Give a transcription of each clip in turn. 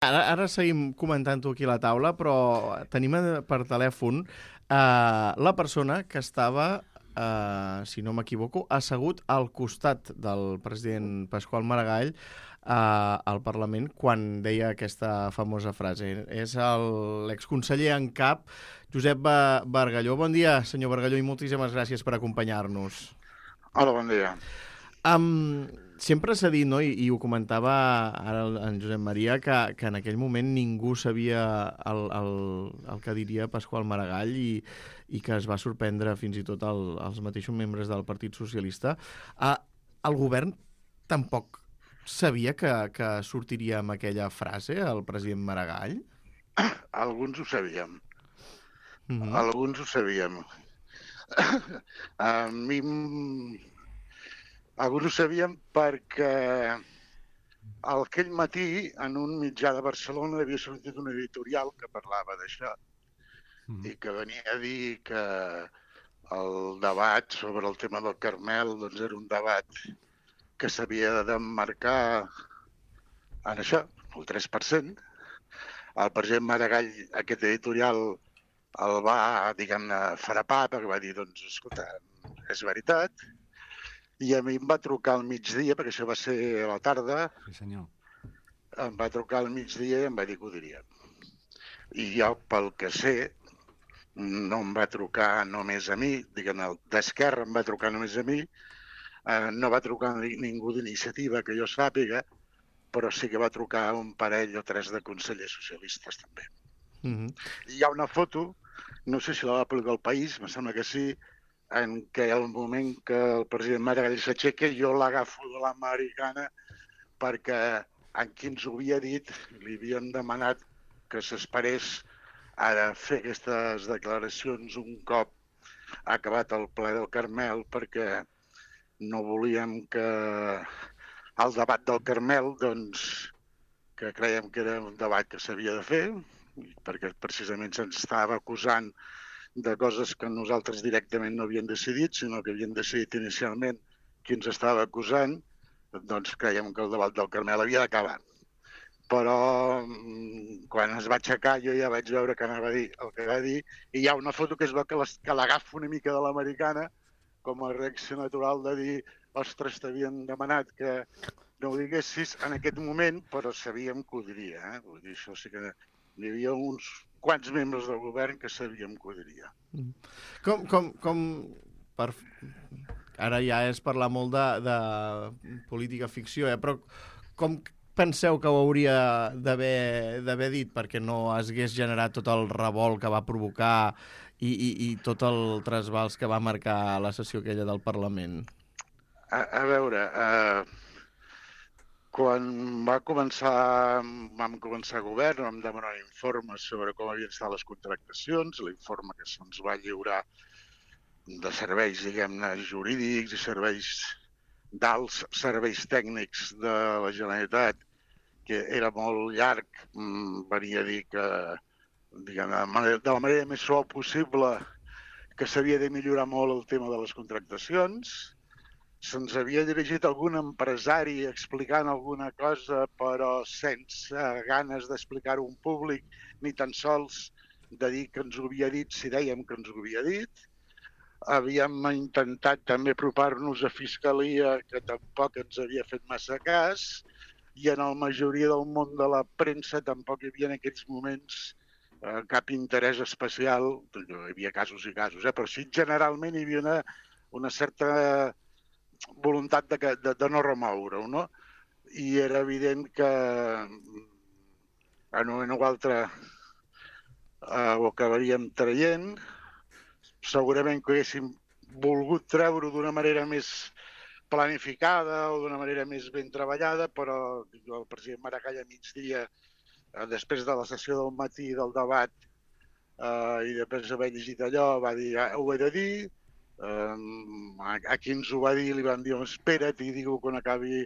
Ara seguim comentant-ho aquí a la taula, però tenim per telèfon la persona que estava, si no m'equivoco, assegut al costat del president Pasqual Maragall al Parlament quan deia aquesta famosa frase. És l'exconseller en cap, Josep Bargalló. Bon dia, senyor Bargalló, i moltíssimes gràcies per acompanyar-nos. Hola, bon dia. Sempre s'ha dit, no, i ho comentava ara en Josep Maria, que en aquell moment ningú sabia el que diria Pasqual Maragall i que es va sorprendre fins i tot els mateixos membres del Partit Socialista. El govern tampoc sabia que sortiria amb aquella frase, el president Maragall? Alguns ho sabíem. Alguns ho sabíem. Alguns ho sabíem perquè aquell matí en un mitjà de Barcelona havia sortit un editorial que parlava d'això i que venia a dir que el debat sobre el tema del Carmel doncs era un debat que s'havia d'emmarcar en això, el 3%. El president Maragall, aquest editorial, el va, diguem-ne, frapar perquè va dir, doncs, escolta, és veritat. I a mi em va trucar al migdia, perquè això va ser a la tarda. Sí, senyor. Em va trucar al migdia i em va dir que ho diria. I jo, pel que sé, no em va trucar només a mi, diguem-ne, d'Esquerra em va trucar només a mi, no va trucar ningú d'iniciativa que jo sàpiga, però sí que va trucar un parell o tres de consellers socialistes també. Hi ha una foto, no sé si la va publicar El País, em sembla que sí, en què al moment que el president Maragall s'aixeca jo l'agafo de l'americana perquè en qui ens ho havia dit li havien demanat que s'esperés a fer aquestes declaracions un cop acabat el ple del Carmel perquè no volíem que el debat del Carmel, doncs, que creiem que era un debat que s'havia de fer, perquè precisament se'ns estava acusant de coses que nosaltres directament no havíem decidit, sinó que havíem decidit inicialment qui ens estava acusant, doncs creiem que el debat del Carmel havia d'acabar. Però quan es va aixecar jo ja vaig veure que anava a dir el que va dir i hi ha una foto que es veu que l'agafo una mica de l'americana com a reacció natural de dir ostres, t'havien demanat que no ho diguessis en aquest moment, però sabíem que ho diria. Vull dir, això sí que hi havia uns quants membres del govern que sabíem que ho diria. Ara ja és parlar molt de política ficció, però com penseu que ho hauria d'haver dit perquè no es hagués generat tot el revolt que va provocar i tot el trasbals que va marcar la sessió aquella del Parlament? A veure, quan vam començar a govern, vam demanar informes sobre com havien estat les contractacions, l'informe que se'ns va lliurar de serveis, diguem-ne, jurídics i serveis d'alts serveis tècnics de la Generalitat, que era molt llarg, venia a dir que, diguem-ne, de la manera més suau possible, que s'havia de millorar molt el tema de les contractacions. Se'ns havia dirigit algun empresari explicant alguna cosa, però sense ganes d'explicar-ho en públic, ni tan sols de dir que ens ho havia dit si dèiem que ens ho havia dit. Havíem intentat també apropar-nos a Fiscalia, que tampoc ens havia fet massa cas, i en la majoria del món de la premsa tampoc hi havia en aquells moments cap interès especial. Hi havia casos i casos, però sí, generalment hi havia una certa voluntat de no remoure-ho, no? I era evident que en un moment o altre ho acabaríem traient. Segurament que haguéssim volgut treure-ho d'una manera més planificada o d'una manera més ben treballada, però el president Maragall a migdia, després de la sessió del matí del debat i després d'haver llegit allò, va dir ho he de dir. A qui ens ho va dir li van dir espera't i digue-ho quan acabi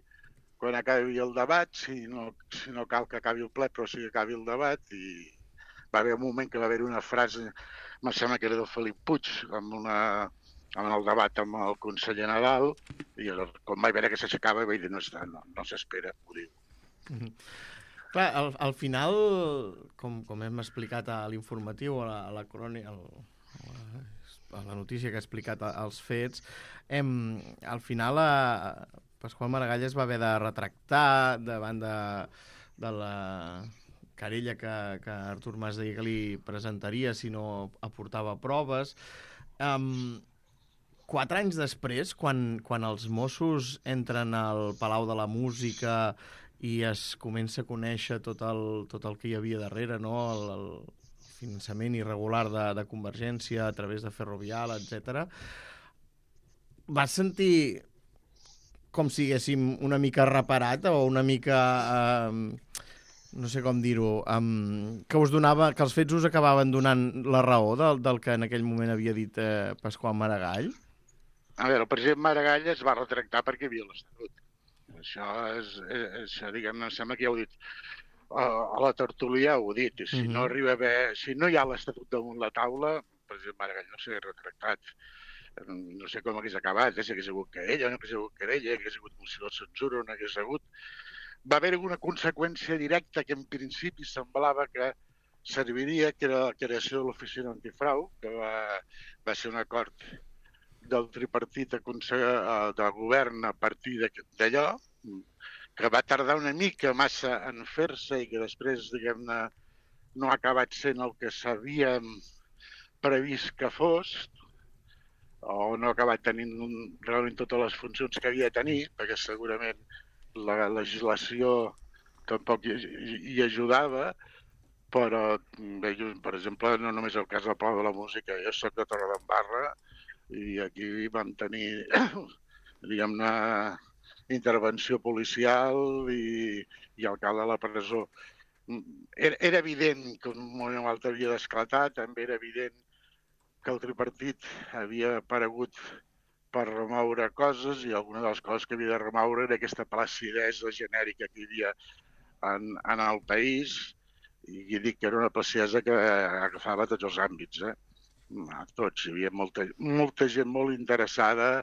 el debat, si no cal que acabi el ple, però sí que acabi el debat. I va haver un moment que va haver una frase, em sembla que era del Felip Puig, en el debat amb el conseller Nadal, i quan vaig veure que s'aixecava vaig dir no s'espera, ho diu. Clar, al final, com hem explicat a l'informatiu, a la crònica, a la notícia que ha explicat els fets, al final Pasqual Maragall es va haver de retractar davant de la querella que Artur Mas deia que li presentaria si no aportava proves. 4 anys després, quan els Mossos entren al Palau de la Música i es comença a conèixer tot el que hi havia darrere, no? El finançament irregular de Convergència a través de Ferrovial, etc. Vas sentir com si haguéssim una mica reparat o una mica, no sé com dir-ho, que us donava, que els fets us acabaven donant la raó del que en aquell moment havia dit Pasqual Maragall? A veure, el president Maragall es va retractar perquè hi havia l'Estatut. Això, diguem-ne, em sembla que ja ho he dit. A la tertúlia ho he dit. Si no arriba a haver, si no hi ha l'Estatut damunt la taula, el president Maragall no s'ha retractat. No sé com hagués acabat, si hagués hagut querella, no hagués hagut querella, hagués hagut moció de censura, no hagués hagut. Va haver una conseqüència directa que en principi semblava que serviria, que era la creació de l'oficina antifrau, que va ser un acord del tripartit de govern a partir d'allò, que va tardar una mica massa en fer-se i que després, diguem-ne, no ha acabat sent el que s'havia previst que fos, o no ha acabat tenint realment totes les funcions que havia de tenir, perquè segurament la legislació tampoc hi ajudava, però, per exemple, no només el cas del Palau de la Música, jo soc de Torredembarra, i aquí vam tenir, diguem-ne, intervenció policial i alcalde a la presó. Era evident que un moment o altre havia d'esclatar, també era evident que el tripartit havia aparegut per remoure coses i alguna de les coses que havia de remoure era aquesta placidesa genèrica que hi havia en el país i dic que era una placidesa que agafava tots els àmbits, a tots. Hi havia molta gent molt interessada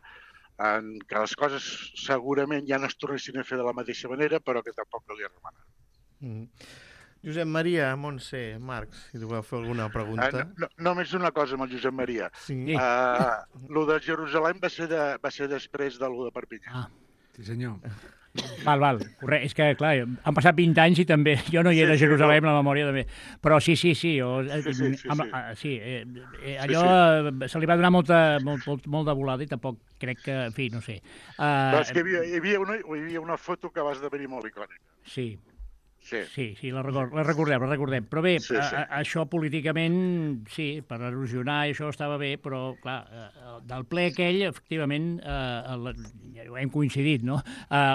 en que les coses segurament ja no es tornessin a fer de la mateixa manera, però que tampoc calia remenar. Josep Maria, Montse, Marc, si tu voleu fer alguna pregunta. Només una cosa amb el Josep Maria. Sí. Lo de Jerusalem va ser després de lo de Perpinyà. Sí, senyor. Val, correcte. És que, clar, han passat 20 anys i també jo no hi era a Jerusalem, la memòria també. Però sí. Allò se li va donar molt de volada i tampoc crec que, en fi, no sé. Però és que hi havia una foto que va esdevenir molt icònica. Sí, la recordem. Però bé, això políticament, sí, per erosionar això estava bé, però, clar, del ple aquell, efectivament, ho hem coincidit, no?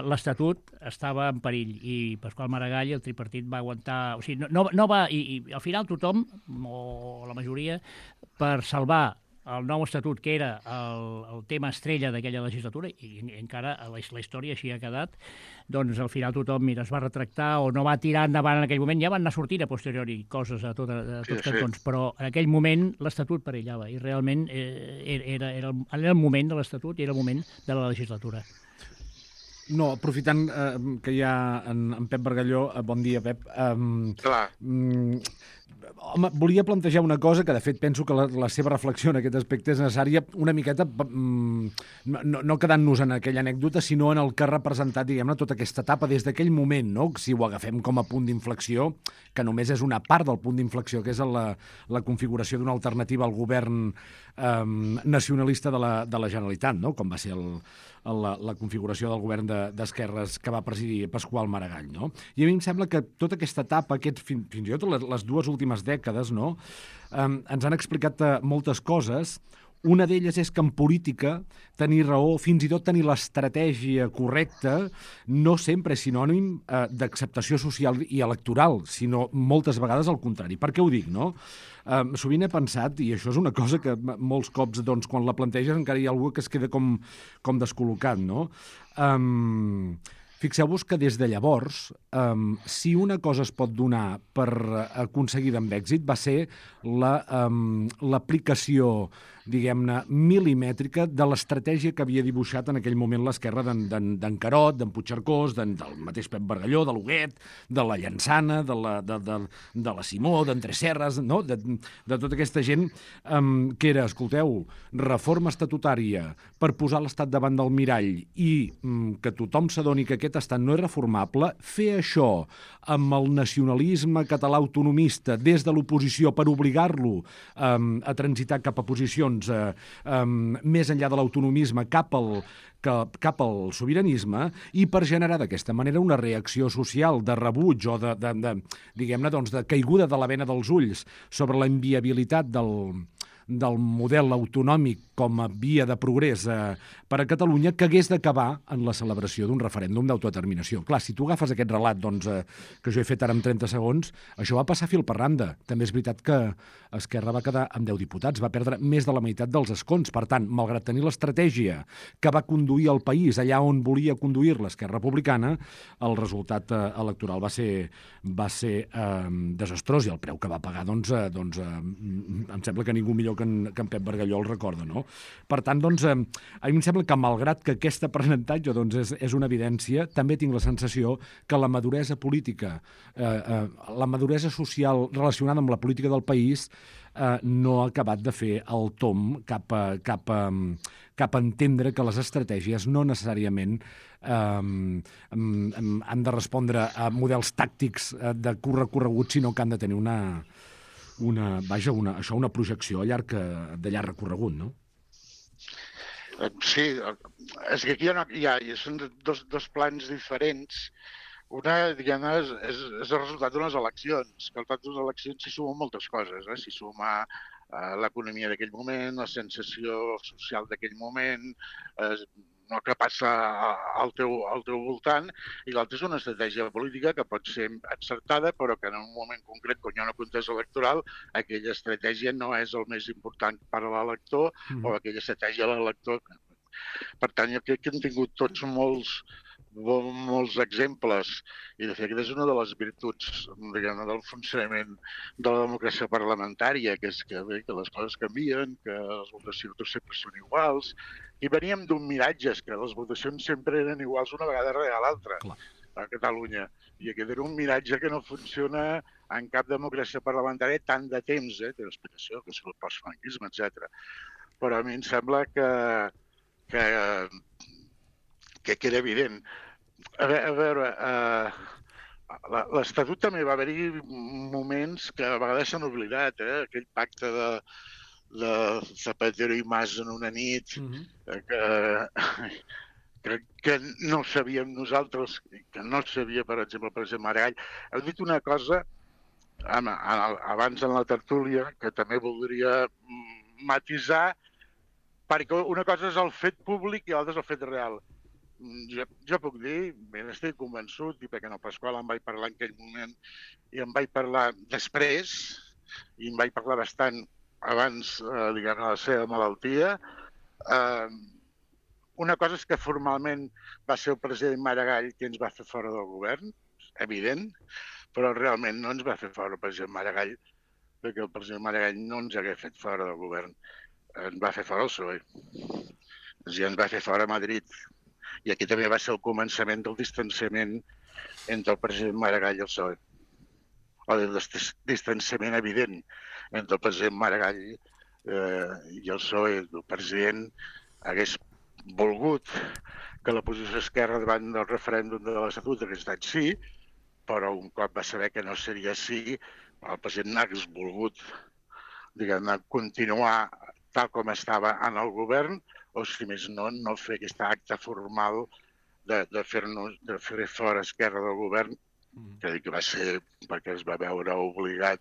L'Estatut estava en perill i Pasqual Maragall, el tripartit, va aguantar... O sigui, no va... I al final tothom, o la majoria, per salvar el nou estatut, que era el tema estrella d'aquella legislatura, i encara la història així ha quedat, doncs al final tothom es va retractar o no va tirar endavant en aquell moment. Ja van anar sortint a posteriori coses a tots cantons, però en aquell moment l'estatut perillava i realment era el moment de l'estatut i era el moment de la legislatura. No, aprofitant que hi ha en Pep Bargalló, bon dia, Pep. Clar. Home, volia plantejar una cosa que, de fet, penso que la seva reflexió en aquest aspecte és necessària una miqueta, no quedant-nos en aquella anècdota, sinó en el que ha representat, diguem-ne, tota aquesta etapa des d'aquell moment, no? Si ho agafem com a punt d'inflexió, que només és una part del punt d'inflexió, que és la configuració d'una alternativa al govern nacionalista de la Generalitat, no? Com va ser la configuració del govern d'esquerres que va presidir Pasqual Maragall, no? I a mi em sembla que tota aquesta etapa, fins i tot les dues últimes dècades, no? Ens han explicat moltes coses. Una d'elles és que en política tenir raó, fins i tot tenir l'estratègia correcta, no sempre és sinònim d'acceptació social i electoral, sinó moltes vegades al contrari. Per què ho dic, no? Sovint he pensat, i això és una cosa que molts cops, doncs, quan la planteges encara hi ha algú que es queda com descol·locat, no? Fixeu-vos que des de llavors, si una cosa es pot donar per aconseguida amb èxit, va ser l'aplicació diguem-ne, milimètrica de l'estratègia que havia dibuixat en aquell moment l'esquerra d'en Carod, d'en Puigcercós, del mateix Pep Bargalló, de l'Huguet, de la Llançana, de la Simó, d'en Tresserras, no? de tota aquesta gent que era, escolteu, reforma estatutària per posar l'Estat davant del mirall i que tothom s'adoni que aquest estat no és reformable, fer això amb el nacionalisme català autonomista des de l'oposició per obligar-lo a transitar cap a posicions més enllà de l'autonomisme cap al sobiranisme i per generar d'aquesta manera una reacció social de rebuig o diguem-ne, de caiguda de la bena dels ulls sobre la inviabilitat del model autonòmic com a via de progrés per a Catalunya, que hagués d'acabar en la celebració d'un referèndum d'autodeterminació. Clar, si tu agafes aquest relat que jo he fet ara en 30 segons, això va passar fil per randa. També és veritat que Esquerra va quedar amb 10 diputats, va perdre més de la meitat dels escons. Per tant, malgrat tenir l'estratègia que va conduir el país allà on volia conduir l'Esquerra Republicana, el resultat electoral va ser desastrós i el preu que va pagar, em sembla que ningú millor que en Pep Bargalló el recorda, no? Per tant, a mi em sembla que, malgrat que aquest aprenentatge és una evidència, també tinc la sensació que la maduresa política, la maduresa social relacionada amb la política del país no ha acabat de fer el tomb cap a entendre que les estratègies no necessàriament han de respondre a models tàctics de curt recorregut, sinó que han de tenir una projecció de llarg recorregut, no? Sí, és que aquí són dos plans diferents. Una, diguem-ne, és el resultat d'unes eleccions, que al resultat d'unes eleccions s'hi sumen moltes coses. S'hi suma l'economia d'aquell moment, la sensació social d'aquell moment, el que passa al teu voltant, i l'altre és una estratègia política que pot ser encertada, però que en un moment concret, quan hi ha una contesa electoral, aquella estratègia no és el més important per a l'elector, o aquella estratègia de l'elector. Per tant, jo crec que hem tingut tots molts exemples, i de fet és una de les virtuts, diguem-ne, del funcionament de la democràcia parlamentària, que és que les coses canvien, que les votacions sempre són iguals, i veníem d'un miratge, que les votacions sempre eren iguals una vegada darrere l'altra a Catalunya, i aquest era un miratge que no funciona en cap democràcia parlamentària tant de temps, té l'explicació, que és el postfranquisme, etc. Però a mi em sembla que era evident. A veure, l'Estatut també va haver-hi moments que a vegades s'han oblidat, aquell pacte de Zapatero i Mas en una nit, que no sabíem nosaltres, que no sabia, per exemple, el president Maragall. Heu dit una cosa abans en la tertúlia que també voldria matisar, perquè una cosa és el fet públic i l'altra és el fet real. Jo puc dir, ben estic convençut, i perquè en el Pasqual em vaig parlar en aquell moment i em vaig parlar després, i em vaig parlar bastant abans, diguem-ne, de la seva malaltia. Una cosa és que formalment va ser el president Maragall qui ens va fer fora del govern, evident, però realment no ens va fer fora el president Maragall, perquè el president Maragall no ens hagués fet fora del govern. Ens va fer fora el PSOE. I ens va fer fora a Madrid. I aquí també va ser el començament del distanciament entre el president Maragall i el PSOE. O del distanciament evident entre el president Maragall i el PSOE. El president hagués volgut que la posició esquerra davant del referèndum de l'Estatut hagués estat sí, però un cop va saber que no seria sí, el president hagués volgut, diguem-ne, continuar tal com estava en el govern, o si més no fer aquest acte formal de fer fora Esquerra del govern, que va ser perquè es va veure obligat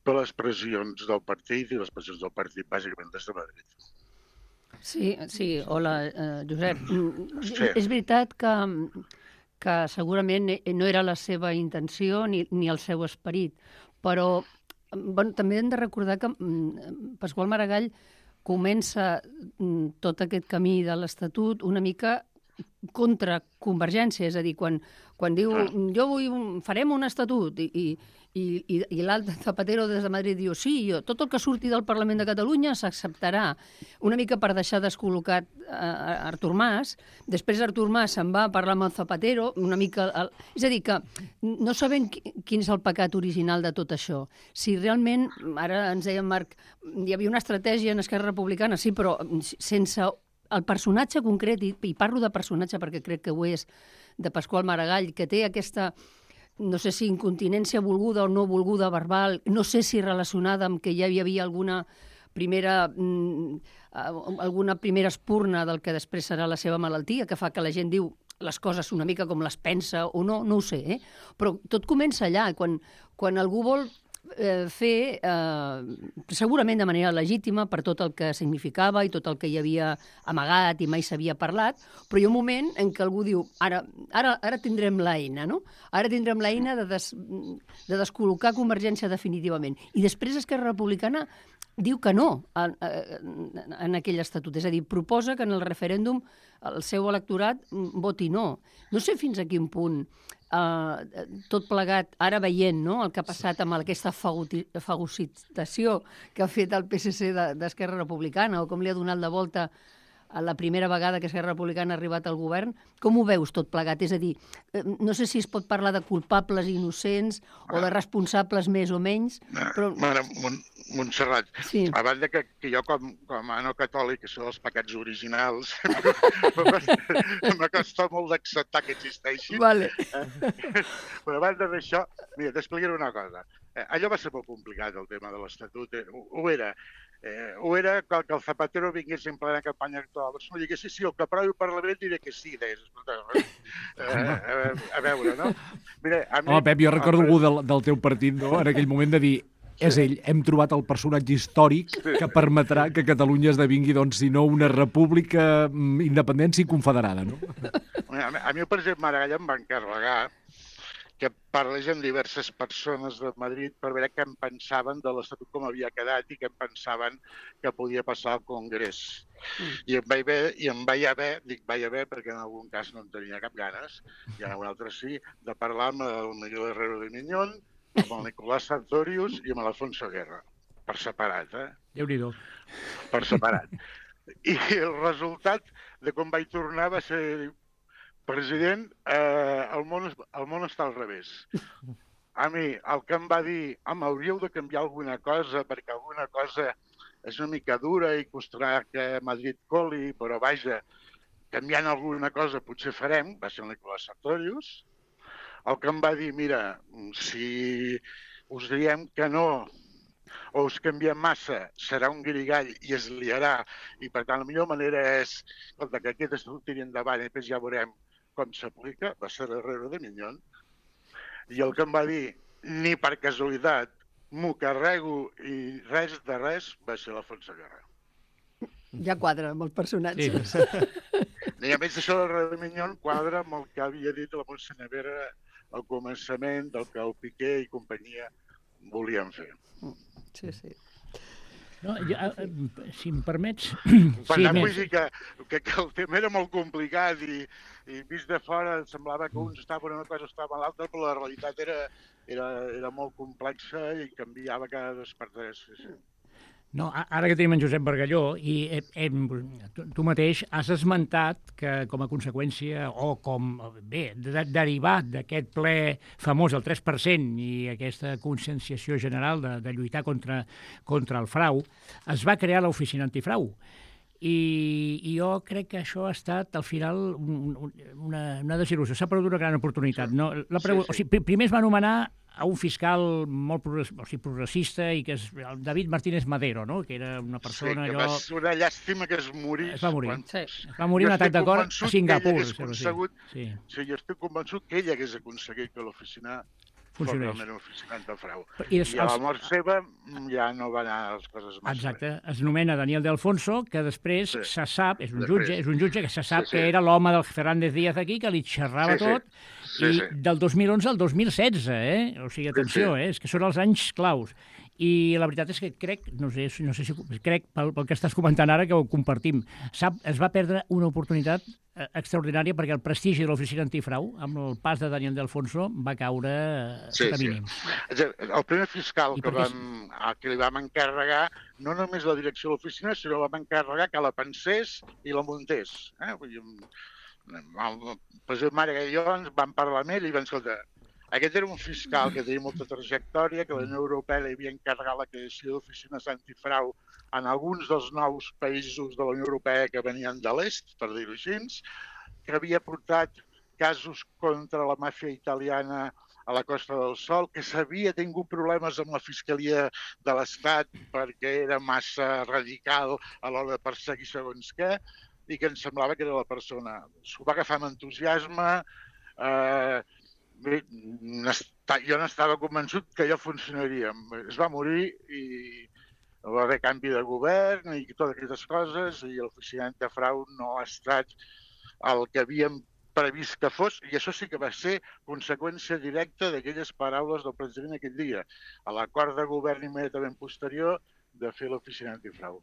per les pressions del partit i les pressions del partit bàsicament des de Madrid. Sí, hola, Josep. Sí. És veritat que segurament no era la seva intenció ni el seu esperit, però també hem de recordar que Pasqual Maragall comença tot aquest camí de l'Estatut una mica contra Convergència, és a dir, quan diu farem un estatut i l'altre Zapatero des de Madrid diu tot el que surti del Parlament de Catalunya s'acceptarà, una mica per deixar descol·locat Artur Mas. Després Artur Mas se'n va a parlar amb el Zapatero, una mica... És a dir, que no sabem quin és el pecat original de tot això. Si realment, ara ens deia Marc, hi havia una estratègia en Esquerra Republicana, sí, però sense el personatge concret, i parlo de personatge perquè crec que ho és, de Pasqual Maragall, que té aquesta... no sé si incontinència volguda o no volguda verbal, no sé si relacionada amb que ja hi havia alguna primera espurna del que després serà la seva malaltia, que fa que la gent diu les coses una mica com les pensa o no, no ho sé, però tot comença allà, quan algú vol fer, segurament de manera legítima, per tot el que significava i tot el que hi havia amagat i mai s'havia parlat, però hi ha un moment en què algú diu ara tindrem l'eina, no? Ara tindrem l'eina de descol·locar Convergència definitivament. I després Esquerra Republicana diu que no en aquell estatut. És a dir, proposa que en el referèndum el seu electorat voti no. No sé fins a quin punt tot plegat, ara veient el que ha passat amb aquesta fagocitació que ha fet el PSC d'Esquerra Republicana o com li ha donat la volta a la primera vegada que Esquerra Republicana ha arribat al govern, com ho veus tot plegat? És a dir, no sé si es pot parlar de culpables i innocents o de responsables més o menys, però... Montserrat, a banda que jo com a no catòlic, que són els pecats originals, m'acosta molt d'acceptar que existeixi. Vale. Però a banda d'això, mira, t'explicaré una cosa. Allò va ser molt complicat, el tema de l'Estatut. Ho era que el Zapatero vingués en plena campanya electoral. No digués, sí, el que aprovi el Parlament diré que sí. A veure, no? Mira, home, Pep, jo recordo algú del teu partit, no?, en aquell moment de dir és ell, hem trobat el personatge històric que permetrà que Catalunya esdevingui, doncs, si no una república independent i confederada, no? A mi el president Maragall em va encarregar que parlés amb diverses persones de Madrid per veure què en pensaven de l'Estatut com havia quedat i què en pensaven que podia passar al Congrés. I em vaig haver, perquè en algun cas no en tenia cap ganes, i en algun altre sí, de parlar amb el Miguel Herrero de Miñón, amb el Nicolás Sartorius i amb l'Alfonso Guerra, per separat, Déu-n'hi-do. Per separat. I el resultat de com vaig tornar va ser, president, el món està al revés. A mi, el que em va dir, hauríeu de canviar alguna cosa, perquè alguna cosa és una mica dura i costarà que Madrid coli, però vaja, canviant alguna cosa potser farem, va ser el Nicolás Sartorius. El que em va dir, mira, si us diem que no o us canviem massa, serà un guirigall i es liarà, i per tant la millor manera és que aquest estatut tiri endavant i després ja veurem com s'aplica, va ser Herrero de Miñón. I el que em va dir, ni per casualitat, m'ho carrego i res de res, va ser l'Alfonso Guerra. Ja quadra amb els personatges. Sí. I a més d'això, el de Miñón quadra amb el que havia dit la Montse Nevera al començament del que el Piqué i companyia volien fer. Sí, sí. No, si em permets... Per tant, vull dir que el tema era molt complicat i vist de fora semblava que uns estaven una cosa, estaven l'altra, però la realitat era molt complexa i canviava cada dos per tres. Sí. No, ara que tenim en Josep Bargalló, i tu mateix has esmentat que com a conseqüència o derivat d'aquest ple famós, el 3%, i aquesta conscienciació general de lluitar contra el frau, es va crear l'Oficina Antifrau. I jo crec que això ha estat, al final, una desil·lusió. S'ha perdut una gran oportunitat. No? O sigui, primer es va anomenar a un fiscal molt progressista i que és el David Martínez Madero, no? Que era una persona... Sí, que va ser una llàstima que es morís. Es va morir. Es va morir un atac de cor a Singapur. Sí, jo estic convençut que ell hagués aconseguit que l'oficina fos realment l'oficina antifrau. I a la mort seva ja no van anar les coses massa. Exacte. Es nomena Daniel de Alfonso, que després se sap, és un jutge que se sap que era l'home del Fernández Díaz aquí, que li xerrava tot, i del 2011 al 2016, O sigui, atenció, és que són els anys claus. I la veritat és que crec, no sé si crec, pel que estàs comentant ara, que ho compartim, es va perdre una oportunitat extraordinària perquè el prestigi de l'oficina antifrau, amb el pas de Daniel de Alfonso, va caure sota mínims. El primer fiscal que li vam encarregar, no només la direcció de l'oficina, sinó vam encarregar que la pensés i la muntés. El president Maragall i jo vam parlar amb ell i vam escoltar. Aquest era un fiscal que tenia molta trajectòria, que la Unió Europea li havia encarregat la creació d'oficines antifrau en alguns dels nous països de la Unió Europea que venien de l'est, per dir-ho així, que havia portat casos contra la màfia italiana a la Costa del Sol, que s'havia tingut problemes amb la Fiscalia de l'Estat perquè era massa radical a l'hora de perseguir segons què, i que ens semblava que era la persona. S'ho va agafar amb entusiasme, jo n'estava convençut que allò funcionaria. Es va morir i va haver canvi de govern i totes aquestes coses, i l'oficina antifrau no ha estat el que havíem previst que fos, i això sí que va ser conseqüència directa d'aquelles paraules del president aquell dia, a l'acord de govern immediatament posterior de fer l'oficina antifrau.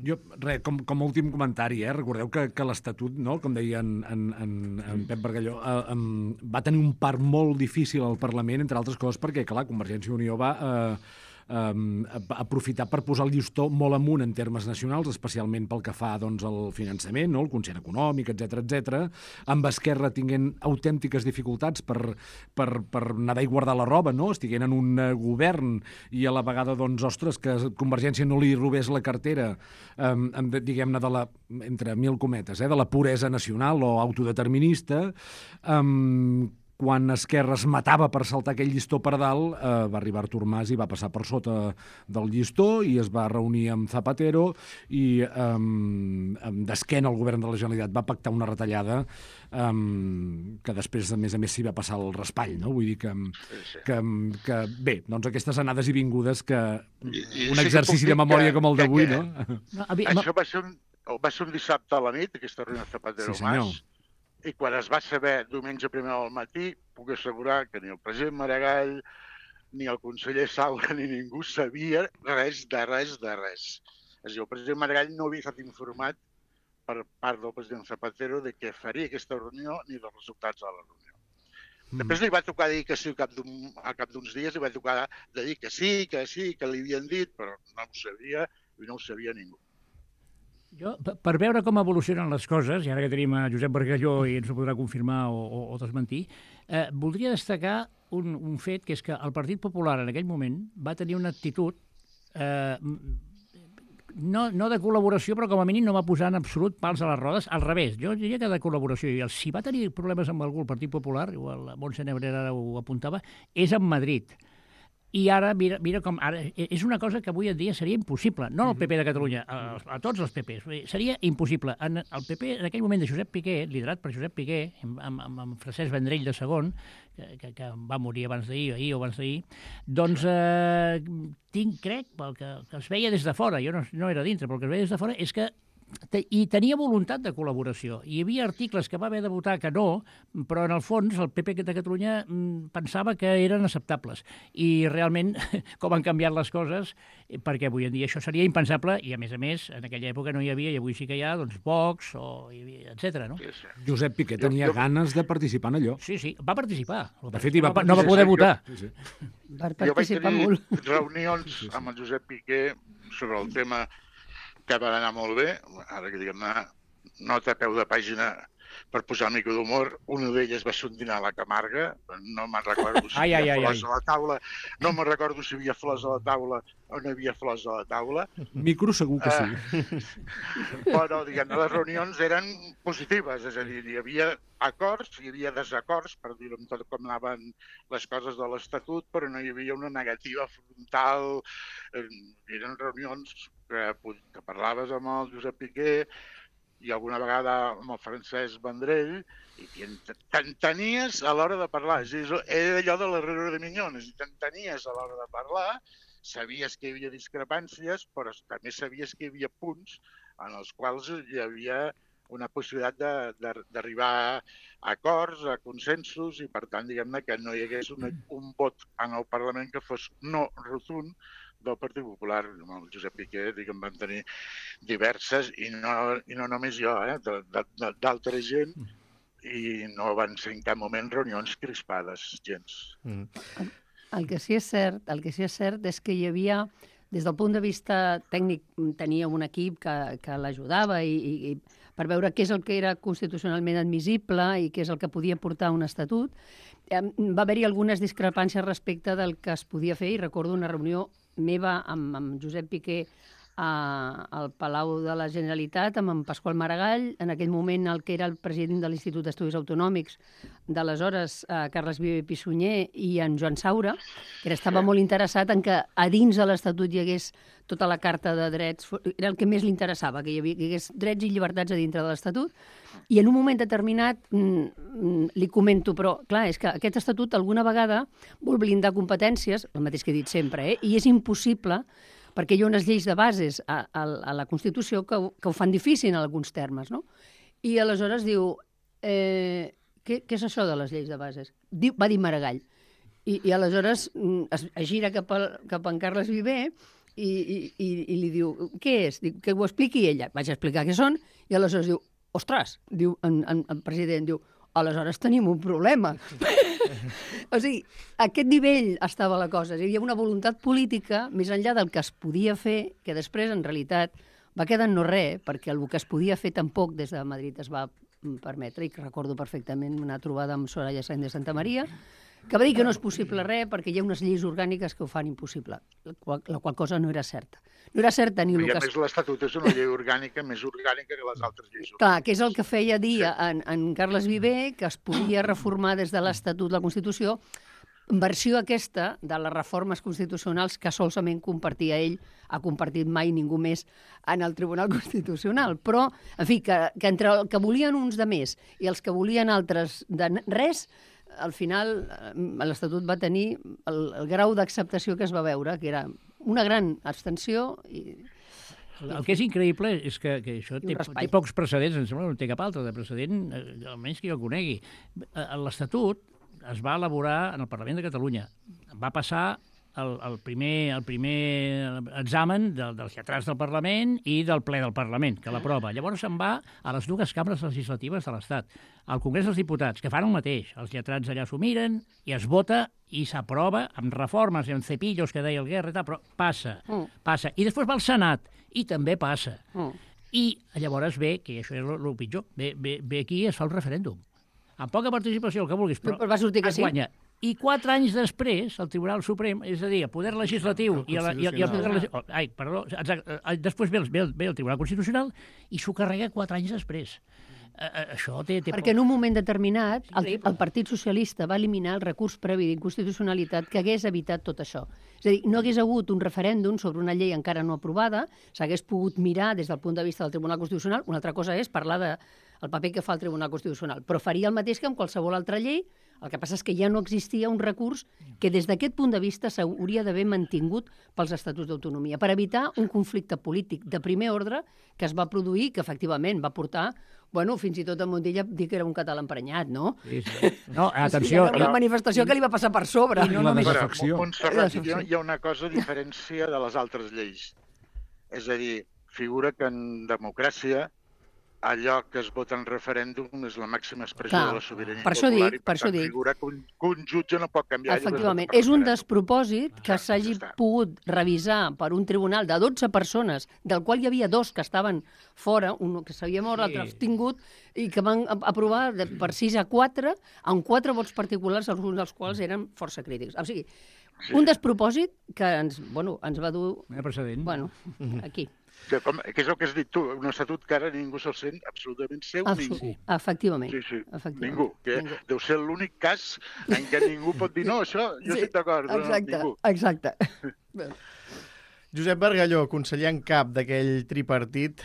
Jo, com a últim comentari, recordeu que l'Estatut, no, com deia en Pep Bargalló, va tenir un part molt difícil al Parlament, entre altres coses perquè, clar, Convergència i Unió va aprofitar per posar el llistó molt amunt en termes nacionals, especialment pel que fa doncs, al finançament, no? El concert econòmic, etc, amb Esquerra tinguent autèntiques dificultats per nedar i guardar la roba, no? Estiguent en un govern i a la vegada, doncs, ostres, que Convergència no li robés la cartera, diguem-ne, entre mil cometes, de la puresa nacional o autodeterminista, quan Esquerra es matava per saltar aquell llistó per dalt, va arribar Artur Mas i va passar per sota del llistó i es va reunir amb Zapatero i d'esquena al govern de la Generalitat va pactar una retallada que després, a més, s'hi va passar el raspall, no? Vull dir que bé, doncs aquestes anades i vingudes que un exercici de memòria com el d'avui, no? Això va ser un dissabte a la nit, aquesta reunió Zapatero-Mas, i quan es va saber diumenge primer al matí, puc assegurar que ni el president Maragall, ni el conseller Saura, ni ningú sabia res de res. És a dir, el president Maragall no havia estat informat per part del president Zapatero de què faria aquesta reunió ni dels resultats de la reunió. Després li va tocar dir que sí, a cap d'uns dies li va tocar de dir que sí, que li havien dit, però no ho sabia i no ho sabia ningú. Jo, per veure com evolucionen les coses, i ara que tenim a Josep Bargalló i ens ho podrà confirmar o desmentir, voldria destacar un fet, que és que el Partit Popular en aquell moment va tenir una actitud no de col·laboració, però com a mínim no va posar en absolut pals a les rodes. Al revés, jo diria que de col·laboració. I si va tenir problemes amb algú el Partit Popular, igual la Montse Nebrera ho apuntava, és amb Madrid. I ara, mira com... Ara, és una cosa que avui en dia seria impossible. No al PP de Catalunya, a tots els PPs. Seria impossible. El PP, en aquell moment de Josep Piqué, liderat per Josep Piqué, amb Francesc Vendrell de segon, que va morir abans d'ahir o abans d'ahir, doncs crec, pel que es veia des de fora, jo no era dintre, però el que es veia des de fora és que i tenia voluntat de col·laboració. Hi havia articles que va haver de votar que no, però en el fons el PP de Catalunya pensava que eren acceptables. I realment, com han canviat les coses, perquè avui en dia això seria impensable, i a més, en aquella època no hi havia, i avui sí que hi ha, doncs, Vox, etc. No? Josep Piqué tenia ganes de participar en allò. Sí, va participar. De fet, no va poder votar. Va participar molt. Jo vaig tenir reunions amb el Josep Piqué sobre el tema que va anar molt bé, ara que diguem-ne, nota a peu de pàgina per posar una mica d'humor. Una d'elles va ser un dinar a la Camarga, no me'n recordo si hi havia flors a la taula, no me'n recordo si hi havia flors a la taula o no hi havia flors a la taula. Micro segur que sí. Però, diguem-ne, les reunions eren positives, és a dir, hi havia acords, hi havia desacords, per dir-ho amb tot com anaven les coses de l'Estatut, però no hi havia una negativa frontal. Eren reunions que parlaves amb el Josep Piqué i alguna vegada amb el Francesc Vendrell i t'entenies a l'hora de parlar. Era allò de l'error de Minyones, i t'entenies a l'hora de parlar, sabies que hi havia discrepàncies, però també sabies que hi havia punts en els quals hi havia una possibilitat d'arribar a acords, a consensos, i per tant, diguem-ne, que no hi hagués un vot en el Parlament que fos no rotund del Partit Popular. El Josep Piqué, diguem, van tenir diverses, i no només jo, d'altra gent, i no van ser en cap moment reunions crispades, gens. El que sí és cert és que hi havia, des del punt de vista tècnic, tenia un equip que l'ajudava i per veure què és el que era constitucionalment admissible i què és el que podia portar un estatut. Va haver-hi algunes discrepàncies respecte del que es podia fer, i recordo una reunió meva amb Josep Piqué al Palau de la Generalitat, amb en Pasqual Maragall, en aquell moment el que era el president de l'Institut d'Estudis Autonòmics d'aleshores, Carles Viver Pissunyer, i en Joan Saura, que estava molt interessat en que a dins de l'Estatut hi hagués tota la Carta de Drets, era el que més li interessava, que hi hagués drets i llibertats a dintre de l'Estatut, i en un moment determinat li comento, però clar, és que aquest Estatut alguna vegada vol blindar competències, el mateix que he dit sempre, i és impossible, perquè hi ha unes lleis de bases a la Constitució que ho fan difícil en alguns termes, no? I aleshores diu, què és això de les lleis de bases? Va dir Maragall. I aleshores es gira cap a en Carles Viver i li diu, què és? Diu, que ho expliqui ella. Vaig explicar què són, i aleshores diu, ostres, diu el president, diu, aleshores tenim un problema. O sigui, a aquest nivell estava la cosa. Hi havia una voluntat política, més enllà del que es podia fer, que després, en realitat, va quedar en no res, perquè el que es podia fer tampoc des de Madrid es va permetre, i recordo perfectament una trobada amb Soraya Sáenz de Santa Maria, que va dir que no és possible res perquè hi ha unes lleis orgàniques que ho fan impossible, la qual cosa no era certa. No era certa ni el que... I a més l'Estatut és una llei orgànica més orgànica que les altres lleis orgàniques. Clar, que és el que feia dir en Carles Viver, que es podia reformar des de l'Estatut la Constitució, versió aquesta de les reformes constitucionals que solament compartia ell, ha compartit mai ningú més en el Tribunal Constitucional. Però, en fi, que entre el que volien uns de més i els que volien altres de res, al final l'Estatut va tenir el grau d'acceptació que es va veure, que era una gran abstenció. El que és increïble és que això té pocs precedents, em sembla que no té cap altre de precedent, almenys que jo conegui. L'Estatut es va elaborar en el Parlament de Catalunya. Va passar el primer examen dels lletrats del Parlament i del ple del Parlament, que l'aprova. Llavors se'n va a les dues cambres legislatives de l'Estat, al Congrés dels Diputats, que fan el mateix. Els lletrats allà s'ho miren i es vota i s'aprova amb reformes i amb cepillos, que deia el Guerra, però passa. I després va al Senat i també passa. I llavors ve, que això és el pitjor, ve aquí i es fa un referèndum. Amb poca participació, el que vulguis, però va sortir que es guanya. I 4 anys després, el Tribunal Suprem, és a dir, el poder legislatiu i el poder... Després ve el Tribunal Constitucional i s'ho carrega 4 anys després. Això té... Perquè en un moment determinat el Partit Socialista va eliminar el recurs previ d'inconstitucionalitat que hagués evitat tot això. És a dir, no hagués hagut un referèndum sobre una llei encara no aprovada, s'hagués pogut mirar des del punt de vista del Tribunal Constitucional. Una altra cosa és parlar del paper que fa el Tribunal Constitucional, però faria el mateix que amb qualsevol altra llei. El que passa és que ja no existia un recurs que des d'aquest punt de vista s'hauria d'haver mantingut pels Estatuts d'Autonomia, per evitar un conflicte polític de primer ordre que es va produir, que efectivament va portar, fins i tot a Montilla dir que era un català emprenyat, no? Sí. No, atenció. Una manifestació que li va passar per sobre. I no només afecció. Montserrat, hi ha una cosa diferència de les altres lleis. És a dir, figura que en democràcia allò que es vota en referèndum és la màxima expressió de la sobirania popular. Per això dic. Figura que un jutge no pot canviar. Efectivament. És un despropòsit que s'hagi pogut revisar per un tribunal de 12 persones, del qual hi havia 2 que estaven fora, un que s'havia mort, l'altre abstingut, i que van aprovar per 6-4, amb 4 vots particulars, alguns dels quals eren força crítics. O sigui, un despropòsit que ens va dur... Precedent. Aquí. Que és el que has dit tu, un estatut que ara ningú se'l sent absolutament seu, ningú. Efectivament. Sí. Ningú. Deu ser l'únic cas en què ningú pot dir no, això, jo estic d'acord. Exacte. Josep Bargalló, conseller en cap d'aquell tripartit,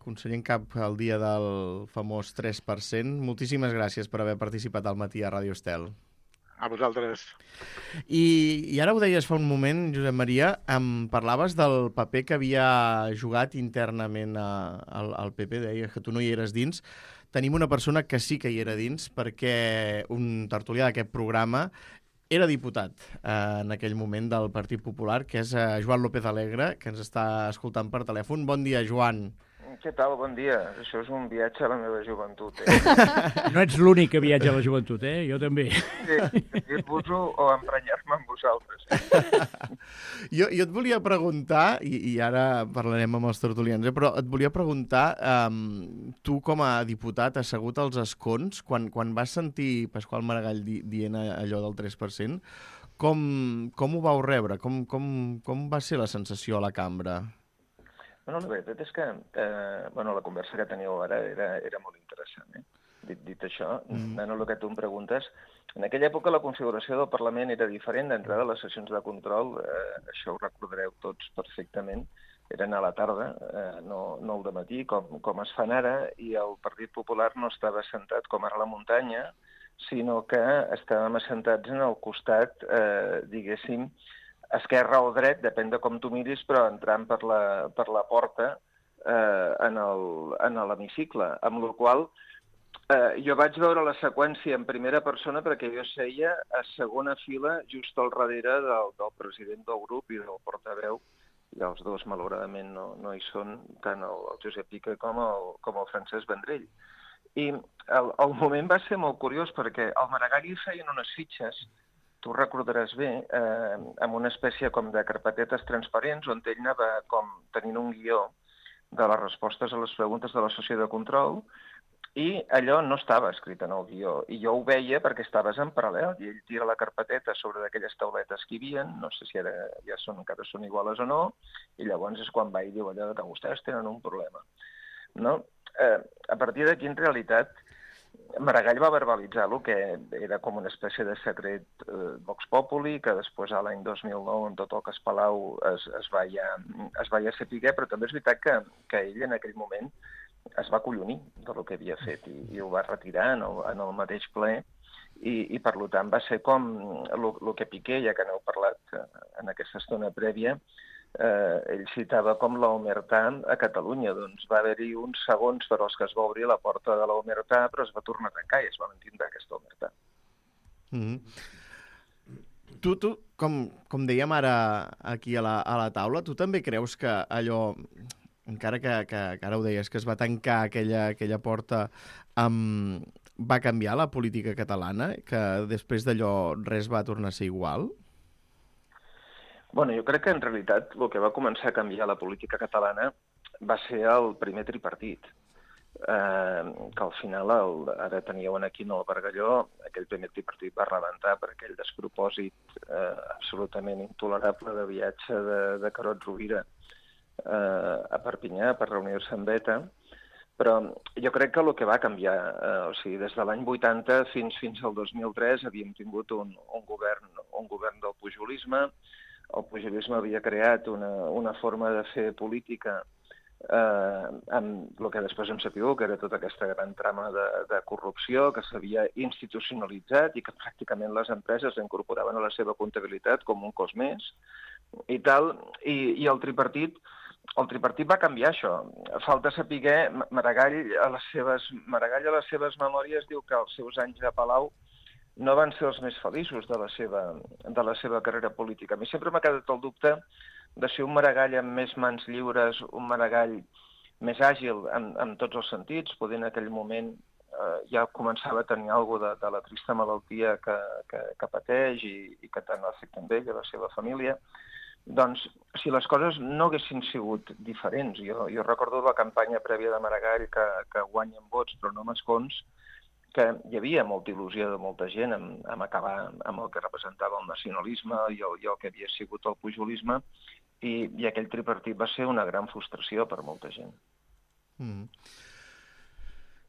conseller en cap el dia del famós 3%. Moltíssimes gràcies per haver participat al matí a Ràdio Estel. A vosaltres. I ara ho deies fa un moment, Josep Maria, em parlaves del paper que havia jugat internament al PP, deies que tu no hi eres dins. Tenim una persona que sí que hi era dins, perquè un tertulià d'aquest programa era diputat en aquell moment del Partit Popular, que és Joan López Alegre, que ens està escoltant per telèfon. Bon dia, Joan. Què tal? Bon dia. Això és un viatge a la meva joventut, No ets l'únic que viatja a la joventut, Jo també. Sí, dir-vos-ho o emprenyar-me amb vosaltres. Jo et volia preguntar, i ara parlarem amb els tertulians, però et volia preguntar, tu com a diputat assegut als escons, quan vas sentir Pasqual Maragall dient allò del 3%, com ho vau rebre? Com va ser la sensació a la cambra? Bueno, la veritat és que la conversa que teníeu ara era molt interessant. Dit això, anant a el que tu em preguntes, en aquella època la configuració del Parlament era diferent. D'entrada, les sessions de control, això ho recordareu tots perfectament, eren a la tarda, no al dematí, com es fan ara, i el Partit Popular no estava assentat com ara a la muntanya, sinó que estàvem assentats en el costat, diguéssim, esquerra o dret, depèn de com tu miris, però entrant per la porta en l'hemicicle, amb la qual jo vaig veure la seqüència en primera persona perquè jo seia a segona fila just al darrere del president del grup i del portaveu, i els dos malauradament no hi són, tant el Josep Pica com el Francesc Vendrell. I el moment va ser molt curiós perquè al Maragall hi feien unes fitxes, tu recordaràs bé, amb una espècie com de carpetetes transparents on ell anava com tenint un guió de les respostes a les preguntes de la sessió de control i allò no estava escrit en el guió. I jo ho veia perquè estaves en paral·lel i ell tira la carpeteta sobre d'aquelles tauletes que hi havia, no sé si ara encara són iguales o no, i llavors és quan va i diu allò que vostès tenen un problema. No? A partir d'aquí, en realitat, Maragall va verbalitzar el que era com una espècie de secret Vox Populi, que després, a l'any 2009, en tot el cas Palau, es va ja saber, però també és veritat que ell en aquell moment es va acollonir del que havia fet i ho va retirar en el mateix ple i per tant va ser com el que Piqué, ja que n'heu parlat en aquesta estona prèvia, ell citava com l'omertà a Catalunya. Doncs va haver-hi uns segons per als que es va obrir la porta de l'omertà, però es va tornar a tancar i es va mantindre aquesta omertà. Tu com dèiem ara aquí a la taula, tu també creus que allò, encara que ara ho deies, que es va tancar aquella porta, va canviar la política catalana, que després d'allò res va tornar a ser igual? Bueno, jo crec que en realitat el que va començar a canviar la política catalana va ser el primer tripartit, que al final, ara teníeu aquí en el Bargalló, aquell primer tripartit va rebentar per aquell despropòsit absolutament intolerable de viatge de Carod Rovira a Perpinyà per reunir-se amb ETA, però jo crec que el que va canviar, des de l'any 80 fins al 2003 havíem tingut un govern del pujolisme. El pujolisme havia creat una forma de fer política amb el que després hem sabut, que era tota aquesta gran trama de corrupció que s'havia institucionalitzat i que pràcticament les empreses incorporaven a la seva comptabilitat com un cos més i tal, i el tripartit va canviar això. Falta saber, Maragall a les seves memòries diu que els seus anys a Palau no van ser els més feliços de la seva carrera política. A mi sempre m'ha quedat el dubte de ser un Maragall amb més mans lliures, un Maragall més àgil en tots els sentits, poder en aquell moment ja començava a tenir alguna de la trista malaltia que pateix i que tant afecta amb ell i la seva família. Doncs, si les coses no haguessin sigut diferents, jo recordo la campanya prèvia de Maragall que guanyen vots però no amb escons, que hi havia molta il·lusió de molta gent en acabar amb el que representava el nacionalisme i el que havia sigut el pujolisme, i aquell tripartit va ser una gran frustració per molta gent.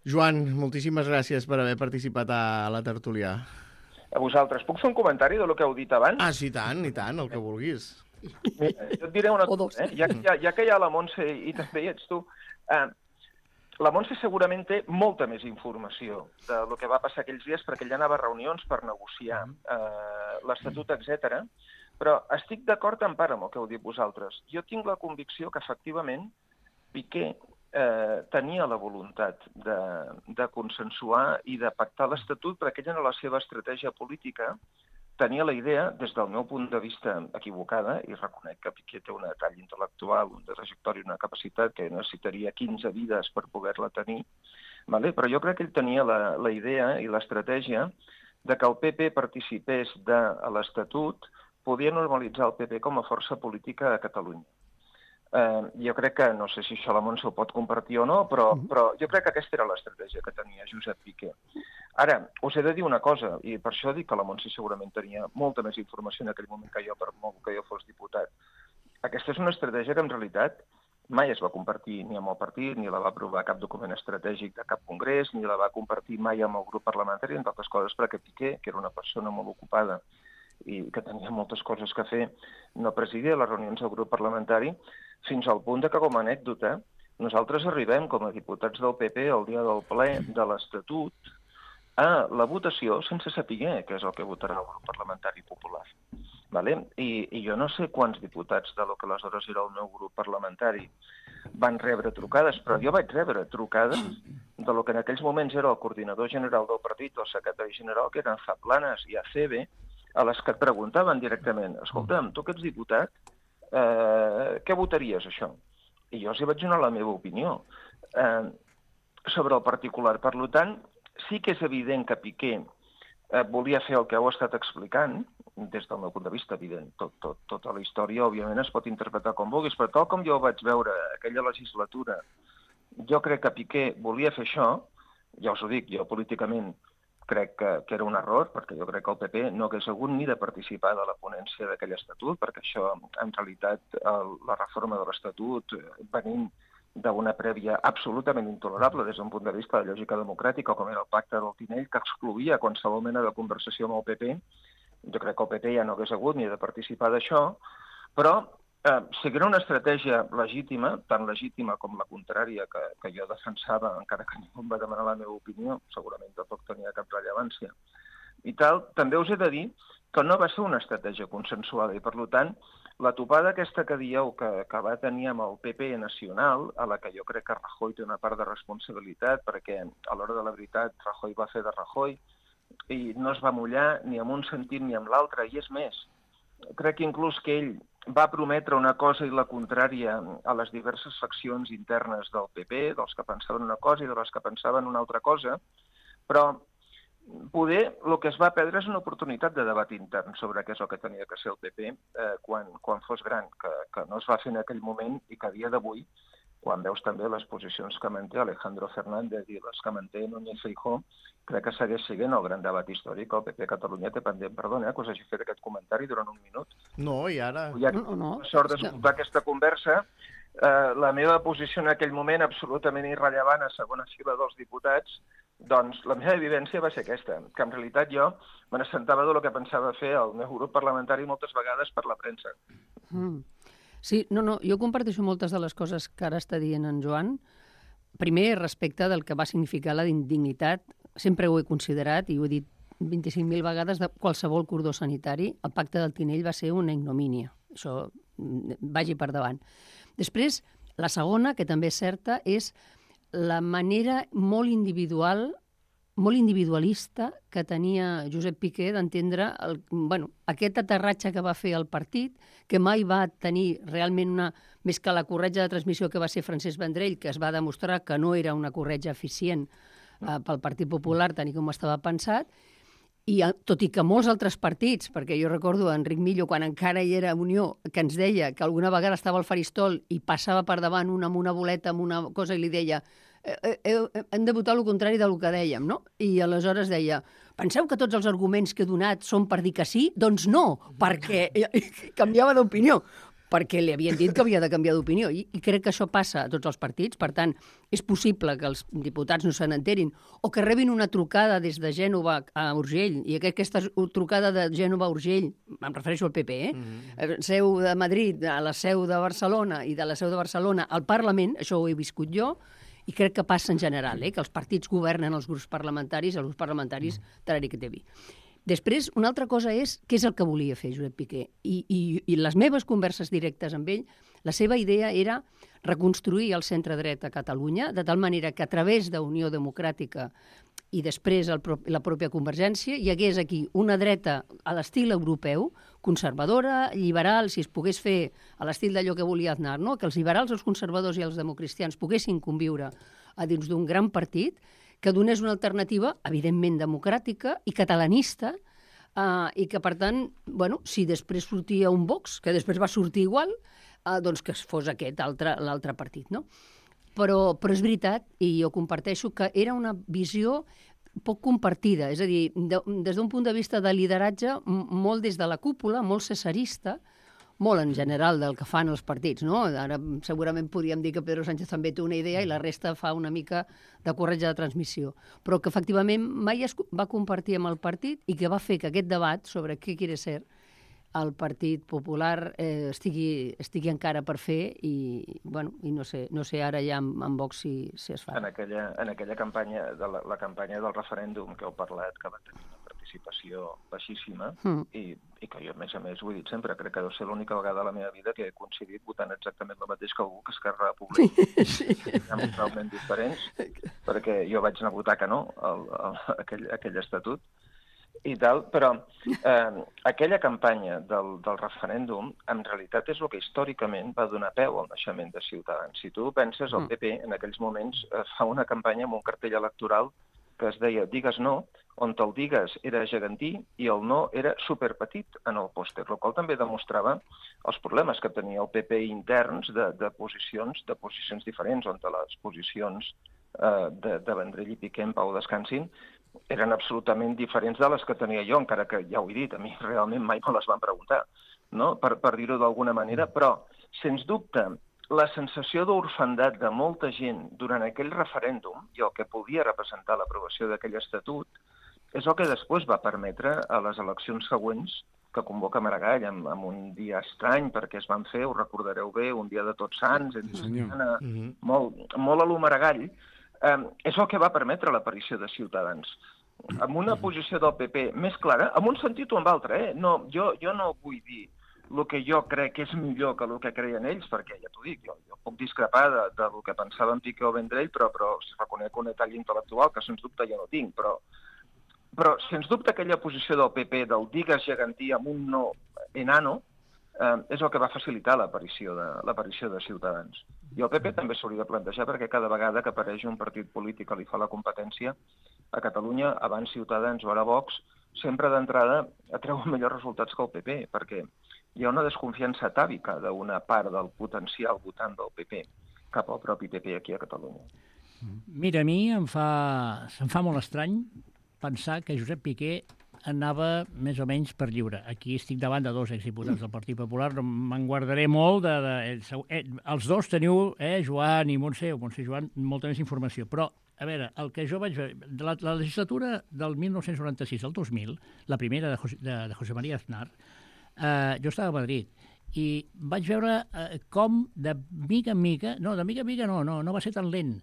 Joan, moltíssimes gràcies per haver participat a la tertúlia. A vosaltres. Puc fer un comentari del que heu dit abans? Ah, sí, i tant, el que vulguis. Jo et diré una cosa, ja que hi ha la Montse i també hi ets tu. la Montse segurament té molta més informació del que va passar aquells dies, perquè ella anava a reunions per negociar l'Estatut, etc. Però estic d'acord en part amb el que heu dit vosaltres. Jo tinc la convicció que, efectivament, Piqué tenia la voluntat de consensuar i de pactar l'Estatut, perquè ella, en la seva estratègia política, tenia la idea, des del meu punt de vista equivocada, i reconec que Piqué té una talla intel·lectual, un trajectòria, una capacitat que necessitaria 15 vides per poder-la tenir, però jo crec que ell tenia la idea i l'estratègia de que el PP participés de l'Estatut, podia normalitzar el PP com a força política a Catalunya. Jo crec que, no sé si això la Montse ho pot compartir o no, però jo crec que aquesta era l'estratègia que tenia Josep Piqué. Ara, us he de dir una cosa, i per això dic que la Montse segurament tenia molta més informació en aquell moment que jo, per molt que jo fos diputat. Aquesta és una estratègia que en realitat mai es va compartir ni amb el partit, ni la va aprovar cap document estratègic de cap congrés, ni la va compartir mai amb el grup parlamentari, entre altres coses perquè Piqué, que era una persona molt ocupada i que tenia moltes coses que fer, no presidia les reunions del grup parlamentari, fins al punt que, com a anècdota, nosaltres arribem com a diputats del PP el dia del ple de l'Estatut a la votació sense saber què és el que votarà el grup parlamentari popular. I jo no sé quants diputats de lo que aleshores era el meu grup parlamentari van rebre trucades, però jo vaig rebre trucades de lo que en aquells moments era el coordinador general del partit o el secretari general, que eren Zaplanas i ACB, a les que et preguntaven directament: escolta'm, tu que ets diputat, què votaries, això? I jo els hi vaig donar la meva opinió sobre el particular. Per tant, sí que és evident que Piqué volia fer el que heu estat explicant, des del meu punt de vista, evident. Tota la història, òbviament, es pot interpretar com vulguis, però tal com jo ho vaig veure aquella legislatura, jo crec que Piqué volia fer això. Ja us ho dic, jo políticament crec que era un error, perquè jo crec que el PP no hagués hagut ni de participar de la ponència d'aquell estatut, perquè això, en realitat, la reforma de l'estatut, venint d'una prèvia absolutament intolerable des d'un punt de vista de lògica democràtica, com era el pacte del Tinell, que excloïa qualsevol mena de conversació amb el PP, jo crec que el PP ja no hagués hagut ni de participar d'això, però sí que era una estratègia legítima, tan legítima com la contrària que jo defensava, encara que ningú em va demanar la meva opinió, segurament tampoc tenia cap rellevància. I tal, també us he de dir que no va ser una estratègia consensuada i, per tant, la topada aquesta que dieu que va tenir amb el PP nacional, a la que jo crec que Rajoy té una part de responsabilitat, perquè a l'hora de la veritat Rajoy va fer de Rajoy i no es va mullar ni en un sentit ni en l'altre, i és més, crec que inclús que ell va prometre una cosa i la contrària a les diverses faccions internes del PP, dels que pensaven una cosa i de les que pensaven una altra cosa, però poder el que es va perdre és una oportunitat de debat intern sobre què és el que tenia que ser el PP quan fos gran, que no es va fer en aquell moment i que a dia d'avui, quan veus també les posicions que manté Alejandro Fernández i les que manté Núñez Feijóo, crec que segueix sent el gran debat històric que el PP a Catalunya té pendent. Perdona, que us hagi fet aquest comentari durant un minut. No, i ara... No. Sort d'escoltar aquesta conversa. La meva posició en aquell moment, absolutament irrellevant a segona fila dels diputats, doncs la meva vivència va ser aquesta, que en realitat jo me n'assentava del que pensava fer el meu grup parlamentari moltes vegades per la premsa. Sí, jo comparteixo moltes de les coses que ara està dient en Joan. Primer, respecte del que va significar la indignitat, sempre ho he considerat i ho he dit 25.000 vegades de qualsevol cordó sanitari, el pacte del Tinell va ser una ignomínia. Això vagi per davant. Després, la segona, que també és certa, és la manera molt individualista que tenia Josep Piqué d'entendre aquest aterratge que va fer el partit, que mai va tenir realment més que la corretja de transmissió que va ser Francesc Vendrell, que es va demostrar que no era una corretja eficient pel Partit Popular, tal com estava pensat, i tot i que molts altres partits, perquè jo recordo Enric Millo, quan encara hi era Unió, que ens deia que alguna vegada estava al faristol i passava per davant amb una boleta, amb una cosa, i li deia hem de votar el contrari del que dèiem, no? I aleshores deia, penseu que tots els arguments que he donat són per dir que sí? Doncs no, perquè canviava d'opinió, perquè li havien dit que havia de canviar d'opinió. I crec que això passa a tots els partits. Per tant, és possible que els diputats no se n'enterin o que rebin una trucada des de Gènova a Urgell, i aquesta trucada de Gènova a Urgell, em refereixo al PP, seu de Madrid a la seu de Barcelona i de la seu de Barcelona al Parlament, això ho he viscut jo, I crec que passa en general, que els partits governen els grups parlamentaris, els grups parlamentaris tarari que té vi. Després, una altra cosa és què és el que volia fer Josep Piqué. I les meves converses directes amb ell, la seva idea era reconstruir el centre-dret a Catalunya, de tal manera que a través d'Unió Democràtica i després la pròpia Convergència hi hagués aquí una dreta a l'estil europeu, conservadora, liberal, si es pogués fer a l'estil d'allò que volia Aznar, no? Que els liberals, els conservadors i els democristians poguessin conviure a dins d'un gran partit que donés una alternativa, evidentment democràtica i catalanista, i que, per tant, bueno, si després sortia un Vox, que després va sortir igual, doncs que fos aquest l'altre partit, no? Però és veritat, i jo comparteixo, que era una visió poc compartida, és a dir, des d'un punt de vista de lideratge, molt des de la cúpula, molt cesarista, molt en general del que fan els partits, no? Ara segurament podríem dir que Pedro Sánchez també té una idea i la resta fa una mica de corretja de transmissió, però que efectivament mai es va compartir amb el partit i que va fer que aquest debat sobre què quiere ser el Partit Popular estigui encara per fer i no sé ara ja amb Vox si es fa. En aquella campanya, la campanya del referèndum que heu parlat, que va tenir una participació baixíssima, i que jo, a més, ho he dit sempre, crec que deu ser l'única vegada a la meva vida que he coincidit votant exactament el mateix que algú que Esquerra Republicana. Sí. Totalment diferents, perquè jo vaig anar a votar que no, aquell estatut, i tal, però aquella campanya del referèndum en realitat és el que històricament va donar peu al naixement de Ciutadans. Si tu penses, el PP en aquells moments fa una campanya amb un cartell electoral que es deia Digues no, on el Digues era gegantí i el no era superpetit en el pòster, el qual també demostrava els problemes que tenia el PP interns de posicions diferents, on les posicions de Vendrell i Piqué en Pau descansin eren absolutament diferents de les que tenia jo, encara que, ja ho he dit, a mi realment mai me les van preguntar, no? per dir-ho d'alguna manera, però, sens dubte, la sensació d'orfandat de molta gent durant aquell referèndum i el que podia representar l'aprovació d'aquell estatut és el que després va permetre a les eleccions següents que convoca Maragall amb un dia estrany, perquè es van fer, ho recordareu bé, un dia de Tots Sants, molt a lo Maragall, és el que va permetre l'aparició de Ciutadans. Amb una posició del PP més clara, en un sentit o en l'altre, no, jo no vull dir el que jo crec que és millor que el que creien ells, perquè ja t'ho dic, jo puc discrepar del que pensaven Piqué o Vendrell, però reconec un detall intel·lectual que sens dubte jo no tinc, però sens dubte aquella posició del PP del digues gegantí amb un no enano és el que va facilitar l'aparició de Ciutadans. I el PP també s'hauria de plantejar perquè cada vegada que apareix un partit polític que li fa la competència a Catalunya, abans Ciutadans o ara Vox, sempre d'entrada atreuen millors resultats que el PP, perquè hi ha una desconfiança atàvica d'una part del potencial votant del PP cap al propi PP aquí a Catalunya. Mira, a mi em fa molt estrany pensar que Josep Piqué anava més o menys per lliure. Aquí estic davant de dos exdiputats del Partit Popular, no me'n guardaré molt. Els dos teniu, Joan i Montse, o Montse i Joan, molta més informació. Però, a veure, el que jo vaig veure, la legislatura del 1996 al 2000, la primera de José María Aznar, jo estava a Madrid, i vaig veure com de mica en mica, no va ser tan lent,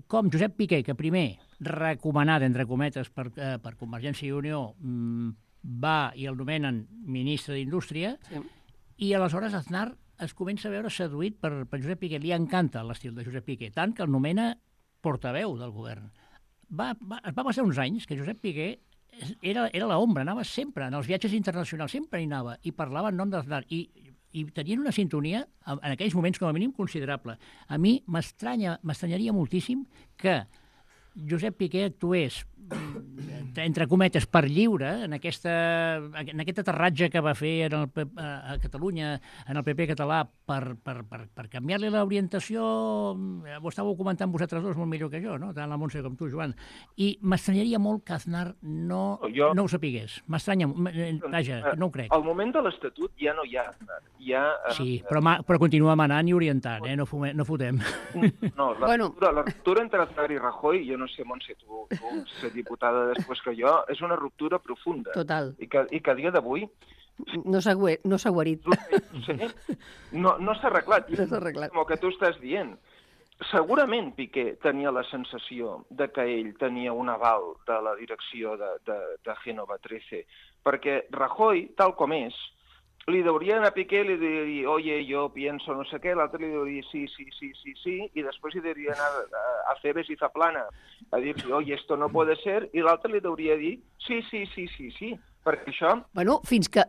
com Josep Piqué, que primer, recomanat, entre cometes, per Convergència i Unió, va i el nomenen ministre d'Indústria, i aleshores Aznar es comença a veure seduït per Josep Piqué. Li encanta l'estil de Josep Piqué, tant que el nomena portaveu del govern. Va passar uns anys que Josep Piqué era l'ombra, anava sempre, en els viatges internacionals, sempre hi anava, i parlava en nom d'Aznar, i tenien una sintonia, en aquells moments com a mínim, considerable. A mi m'estranyaria moltíssim que Josep Piqué actués, entre cometes, per lliure en aquest aterratge que va fer a Catalunya, en el PP català, per canviar-li l'orientació. Ho estàveu comentant vosaltres dos molt millor que jo, no? Tant la Montse com tu, Joan. I m'estranyaria molt que Aznar no ho sapigués. M'estranya, vaja, no ho crec. Al moment de l'Estatut ja no hi ha Aznar. Sí, però continua manant i orientant, no fotem. No, la ruptura entre Aznar i Rajoy, jo no sé, Montse, tu ser diputada després que jo, és una ruptura profunda. Total. I que a dia d'avui... No s'ha guarit. Sí, no s'ha arreglat. No s'ha arreglat. Com el que tu estàs dient. segurament Piqué tenia la sensació de que ell tenia un aval de la direcció de Génova 13, perquè Rajoy, tal com és, li deuria anar a Piqué i li diria, oye, yo pienso no sé què, l'altre li deuria sí, i després li deuria anar a Cebes i Zaplana a dir-li, oye, esto no puede ser, i l'altre li deuria dir sí, perquè això... Bueno, fins que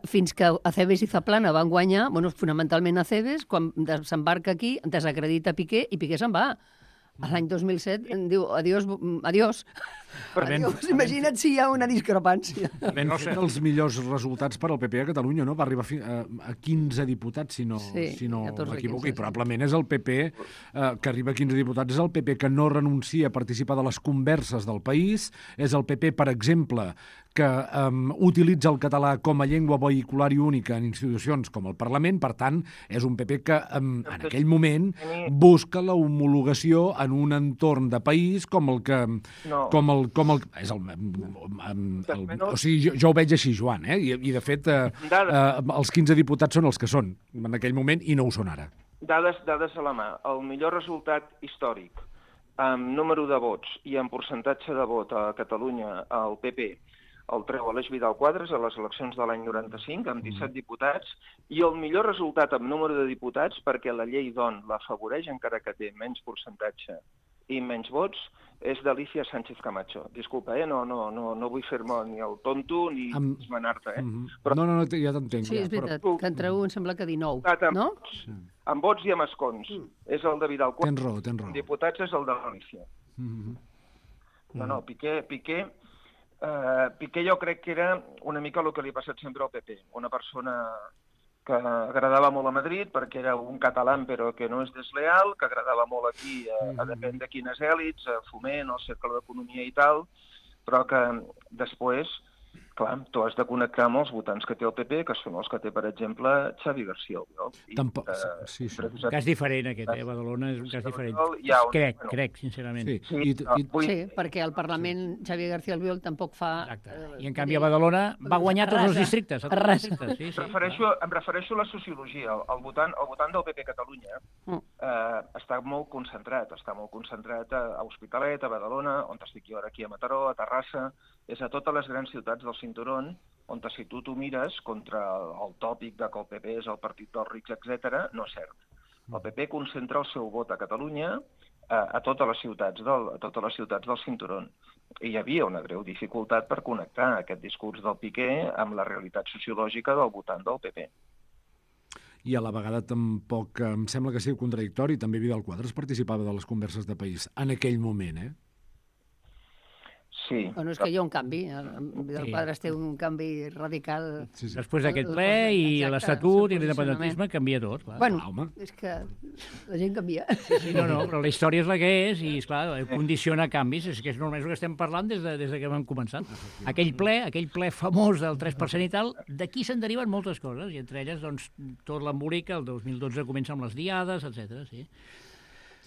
Acebes i Zaplana van guanyar, fonamentalment Acebes, quan s'embarca aquí, desacredita Piqué i Piqué se'n va. A l'any 2007 diu adiós. Imagina't si hi ha una discrepància. Ben fet els millors resultats per al PP a Catalunya, no? Va arribar a 15 diputats, si no m'equivoco, i probablement és el PP que arriba a 15 diputats, és el PP que no renuncia a participar de les converses del país, és el PP, per exemple, que utilitza el català com a llengua vehicular i única en institucions com el Parlament. Per tant, és un PP que en aquell moment busca la homologació en un entorn de país com el que... O sigui, jo ho veig així, Joan, i de fet els 15 diputats són els que són en aquell moment i no ho són ara. Dades a la mà. El millor resultat històric en número de vots i en percentatge de vot a Catalunya al PP el treu Aleix Vidal Quadras a les eleccions de l'any 95, amb 17 diputats, i el millor resultat en número de diputats, perquè la llei DON l'afavoreix, encara que té menys percentatge i menys vots, és d'Alicia Sánchez Camacho. Disculpa, no vull fer-me ni el tonto ni esmenar-te. Però... No, ja t'entenc. Sí, és veritat, que entre un sembla que 19, no? Amb vots i amb escons. És el de Vidal Quadras. Tens raó. Diputats és el de l'Alicia. No, Piqué jo crec que era una mica el que li ha passat sempre al PP, una persona que agradava molt a Madrid perquè era un català però que no és desleal, que agradava molt aquí a depèn de quines èlits, a Foment, al Cercle d'Economia i tal, però que després, clar, tu has de connectar amb els votants que té el PP, que són els que té, per exemple, Xavi García Albiol. Sí. Cas diferent aquest, Badalona és un cas diferent. Crec, sincerament. Sí, perquè al Parlament Xavi García Albiol tampoc fa... Exacte. I en canvi a Badalona va guanyar tots els districtes. Em refereixo a la sociologia. El votant del PP a Catalunya està molt concentrat a Hospitalet, a Badalona, on estic jo ara aquí a Mataró, a Terrassa, és a totes les grans ciutats del cinturón, on si tu t'ho mires contra el tòpic de que el PP és el partit dels rics, etc., no és cert. El PP concentra el seu vot a Catalunya a totes les ciutats del cinturón. I hi havia una greu dificultat per connectar aquest discurs del Piqué amb la realitat sociològica del votant del PP. I a la vegada tampoc em sembla que sigui contradictori, també Vidal Quadras participava de les converses de país en aquell moment, Sí. Bueno, és que hi ha un canvi. Vidal Quadras té un canvi radical. Sí. Després d'aquest ple i l'Estatut i l'independentisme canvia tot. Clar. Bueno, és que la gent canvia. Sí, no, però la història és la que és i, esclar, condiciona canvis. És que és normal que estem parlant des de que vam començar. Aquell ple famós del 3% i tal, d'aquí se'n deriven moltes coses, i entre elles, doncs, tot l'embolic, el 2012 comença amb les diades, etc.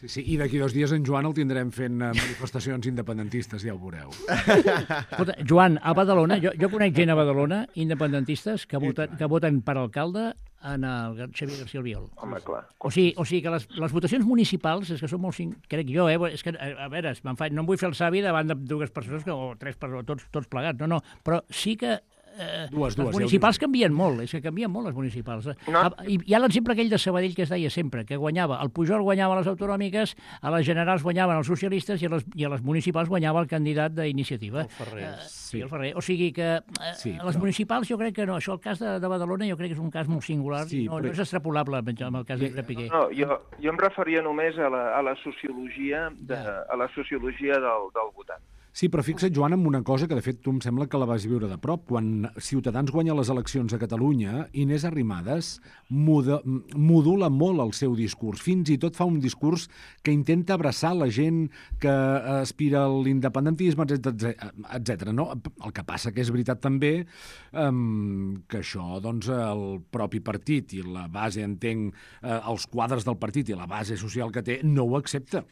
Sí, i d'aquí 2 dies en Joan el tindrem fent manifestacions independentistes, ja ho veureu. Escolta, Joan, a Badalona, jo conec gent a Badalona, independentistes, que voten per alcalde en el Xavier García Albiol. Home, clar. O sigui que les votacions municipals, és que són molt... Crec jo, és que, a veure, no em vull fer el savi davant de 2 persones, o 3 persones, tots plegats, no, però sí que les municipals canvien molt, és que canvien molt les municipals. Hi ha l'exemple aquell de Sabadell que es deia sempre, que guanyava, el Pujol guanyava les autonòmiques, a les generals guanyaven els socialistes i a les municipals guanyava el candidat d'Iniciativa. El Ferrer. El Ferrer. O sigui que les municipals jo crec que no. Això, el cas de Badalona, jo crec que és un cas molt singular, no és extrapolable amb el cas de Piqué. No, jo em referia només a la sociologia del votant. Sí, però fixa't, Joan, en una cosa que, de fet, tu em sembla que la vas viure de prop. Quan Ciutadans guanya les eleccions a Catalunya, Inés Arrimadas modula molt el seu discurs. Fins i tot fa un discurs que intenta abraçar la gent que aspira a l'independentisme, etc. No? El que passa que és veritat també que això, doncs, el propi partit i la base, entenc, els quadres del partit i la base social que té, no ho accepta.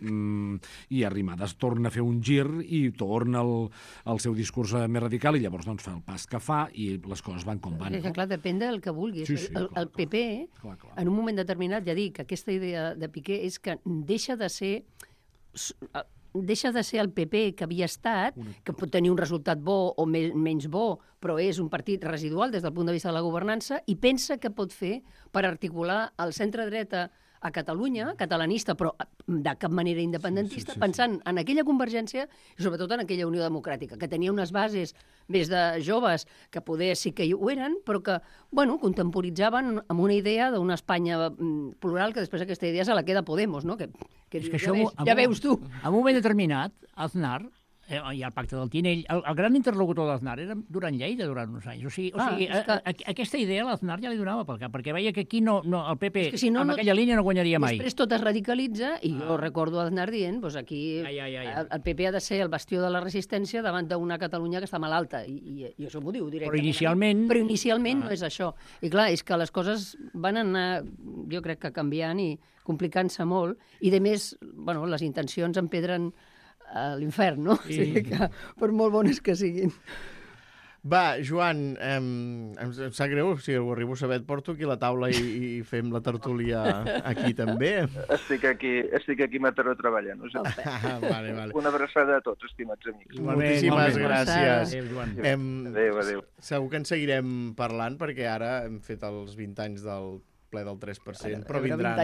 I Arrimadas torna a fer un gir i tot torna al seu discurs més radical i llavors doncs fa el pas que fa i les coses van com van. Clar, depèn del que vulguis. Sí, el PP, en un moment determinat, ja dic, aquesta idea de Piqué és que deixa de ser el PP que havia estat, que pot tenir un resultat bo o menys bo, però és un partit residual des del punt de vista de la governança, i pensa que pot fer per articular el centre-dreta a Catalunya, catalanista, però de cap manera independentista, pensant en aquella convergència i sobretot en aquella Unió Democràtica, que tenia unes bases més de joves que poder sí que ho eren, però que, contemporitzaven amb una idea d'una Espanya plural, que després aquesta idea se la queda Podemos, no? Que ja veus tu. En un moment determinat, Aznar, i el pacte del Tinell, el gran interlocutor d'Aznar era Duran Lleida durant uns anys. O sigui, aquesta idea l'Aznar ja li donava pel cap, perquè veia que aquí el PP amb aquella línia no guanyaria mai. Després tot es radicalitza, i jo recordo Aznar dient, aquí el PP ha de ser el bastió de la resistència davant d'una Catalunya que està malalta, i això m'ho diu directament. Però inicialment no és això. I clar, és que les coses van anar, jo crec que canviant i complicant-se molt, i de més, les intencions empedren a l'infern, no? Sí. O sigui que, per molt bones que siguin. Va, Joan, em sap greu, si arribo a saber, et porto aquí la taula i fem la tertúlia aquí també. Estic aquí a Mataró treballant. Vale. Una abraçada a tots, estimats amics. Moltíssimes gràcies. Adéu. Segur que en seguirem parlant, perquè ara hem fet els 20 anys del ple del 3%, però vindran